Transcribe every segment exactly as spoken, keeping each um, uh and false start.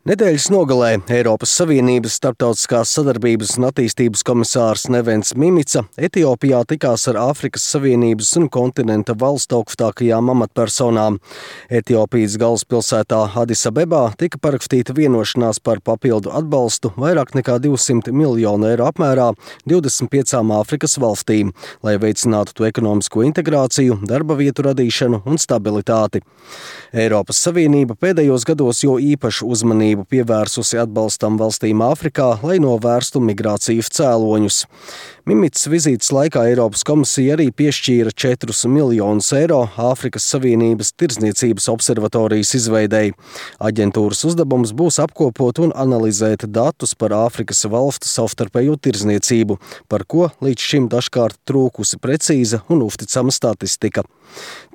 Nedēļas nogalē Eiropas Savienības starptautiskās sadarbības un attīstības komisārs Nevens Mimica Etiopijā tikās ar Āfrikas Savienības un kontinenta valstu augstākajām amatpersonām. Etiopijas galvaspilsētā Adis Abebā tika parakstīta vienošanās par papildu atbalstu vairāk nekā divsimt miljonu eiro apmērā divdesmit piecām Āfrikas valstīm, lai veicinātu to ekonomisko integrāciju, darba vietu radīšanu un stabilitāti. Eiropas Savienība pēdējos gados jo īpašu uzmanību pievērsusi atbalstam valstīm Āfrikā, lai novērstu migrācijas cēloņus. Mimicas vizītes laikā Eiropas komisija arī piešķīra četrus miljonus eiro Āfrikas Savienības tirdzniecības observatorijas izveidei. Aģentūras uzdevums būs apkopot un analizēt datus par Āfrikas valstu savstarpējo tirdzniecību, par ko līdz šim dažkārt trūkusi precīza un uzticama statistika.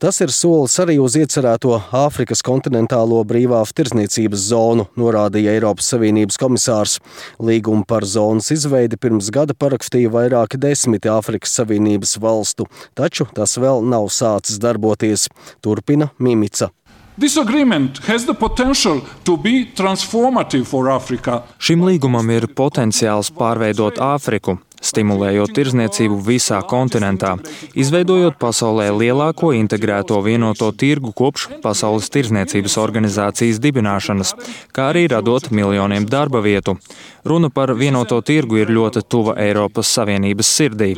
Tas ir solis arī uz iecerēto Āfrikas kontinentālo brīvās tirdzniecības zonu, norādīja Eiropas Savienības komisārs. Līgumu par zonas izveidi pirms gada parakstīja vairāki desmiti Āfrikas Savienības valstu, taču tas vēl nav sācis darboties, turpina Mimica. This agreement has the potential to be transformative for Africa. Šim līgumam ir potenciāls pārveidot Āfriku, stimulējot tirdzniecību visā kontinentā, izveidojot pasaulē lielāko integrēto vienoto tirgu kopš Pasaules tirdzniecības organizācijas dibināšanas, kā arī radot miljoniem darba vietu. Runa par vienoto tirgu ir ļoti tuva Eiropas Savienības sirdī.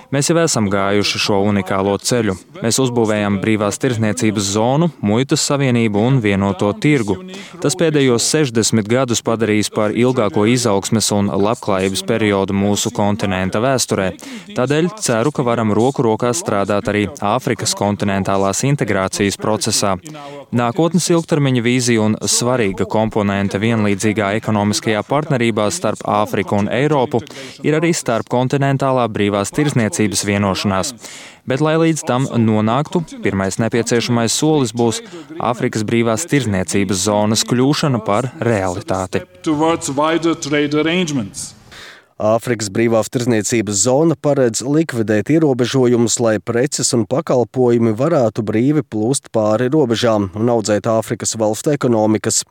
Mēs jau esam gājuši šo unikālo ceļu. Mēs uzbūvējam brīvās tirdzniecības zonu, muitas savienību un vienoto tirgu. Tas pēdējos sešdesmit gadus padarīs par ilgāko izaugsmes un labklājības periodu mūsu kontinenta vēsturē. Tādēļ ceru, ka varam roku rokā strādāt arī Āfrikas kontinentālās integrācijas procesā. Nākotnes ilgtermiņa vīzija un svarīga komponente vienlīdzīgā ekonomiskajā partnerībā starp Āfriku un Eiropu ir arī starpkontinentālā brīvās tirdzniecības vienošanās. Bet, lai līdz tam nonāktu, pirmais nepieciešamais solis būs Āfrikas brīvās tirdzniecības zonas kļūšana par realitāti. Āfrikas brīvās tirdzniecības zona paredz likvidēt ierobežojumus, lai preces un pakalpojumi varētu brīvi plūst pāri robežām un audzēt Āfrikas valstu ekonomikas.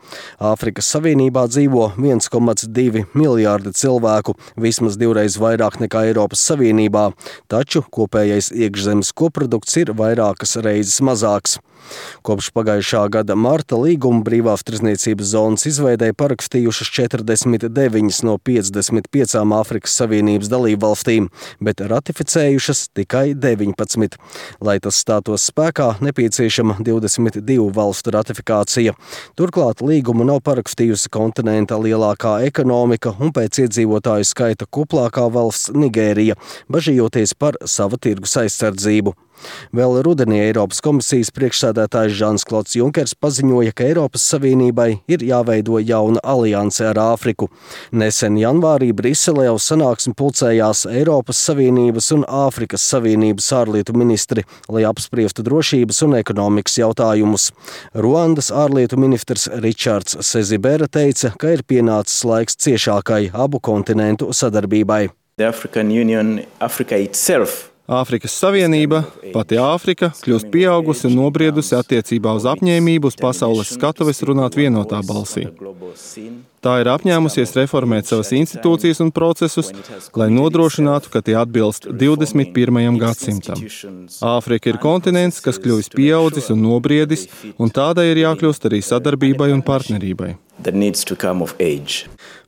Āfrikas Savienībā dzīvo viens komats divi miljārdi cilvēku, vismaz divreiz vairāk nekā Eiropas Savienībā, taču kopējais iekšzemes koprodukts ir vairākas reizes mazāks. Kopš pagājušā gada marta līgumu brīvās tirdzniecības zonas izveidei parakstījušas četrdesmit deviņas no piecdesmit piecām Āfrikas Savienības dalībvalstīm, bet ratificējušas tikai deviņpadsmit. Lai tas stātos spēkā, nepieciešama divdesmit divu valstu ratifikācija. Turklāt līgumu nav parakstījusi kontinenta lielākā ekonomika un pēc iedzīvotāju skaita kuplākā valsts Nigērija, bažījoties par sava tirgus aizsardzību. Vēl rudenī Eiropas komisijas priekšsēdētājs Žans-Klods Junkers paziņoja, ka Eiropas Savienībai ir jāveido jauna alianse ar Āfriku. Nesen janvārī Briselē uz sanāksmi pulcējās Eiropas Savienības un Āfrikas Savienības ārlietu ministri, lai apspriestu drošības un ekonomikas jautājumus. Ruandas ārlietu ministrs Ričards Sezibera teica, ka ir pienācis laiks ciešākai abu kontinentu sadarbībai. The African Union, Africa itself. Āfrikas Savienība, pati Āfrika, kļūst pieaugusi un nobriedusi attiecībā uz apņēmību uz pasaules skatuves runāt vienotā balsī. Tā ir apņēmusies reformēt savas institūcijas un procesus, lai nodrošinātu, ka tie atbilst divdesmit pirmajam gadsimtam. Āfrika ir kontinents, kas kļuvis pieaudzis un nobriedis, un tādai ir jākļūst arī sadarbībai un partnerībai.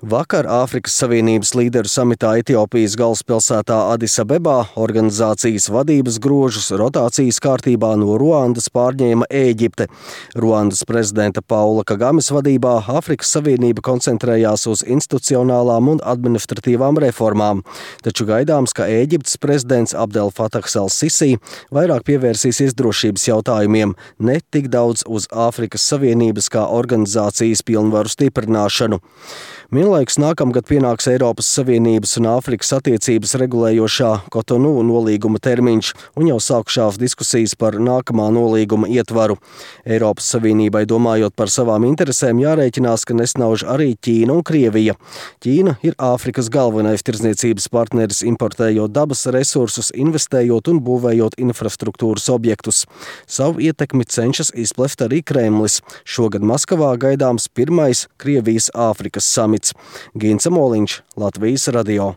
Vakar Āfrikas Savienības līderu samitā Etiopijas galvaspilsētā Adis Abebā organizācijas vadības grožus rotācijas kārtībā no Ruandas pārņēma Ēģipte. Ruandas prezidenta Paula Kagames vadībā Āfrikas Savienība koncentrējās uz institucionālām un administratīvām reformām, taču gaidāms, ka Ēģiptes prezidents Abdel Fatahs al-Sisi vairāk pievērsīsies drošības jautājumiem, ne tik daudz uz Āfrikas Savienības kā organizācijas pilnvaru stiprināšanu. Vienlaikus nākamgad pienāks Eiropas Savienības un Āfrikas attiecības regulējošā Kotonu nolīguma termiņš un jau sākušās diskusijas par nākamā nolīguma ietvaru. Eiropas Savienībai domājot par savām interesēm jārēķinās, ka nesnauž arī Ķīna un Krievija. Ķīna ir Āfrikas galvenais tirdzniecības partneris, importējot dabas resursus, investējot un būvējot infrastruktūras objektus. Savu ietekmi cenšas izplest arī Kremlis. Šogad Maskavā gaidāms pirmais pirmais Krievijas-Āfrikas samits. Gints Moliņš, Latvijas radio.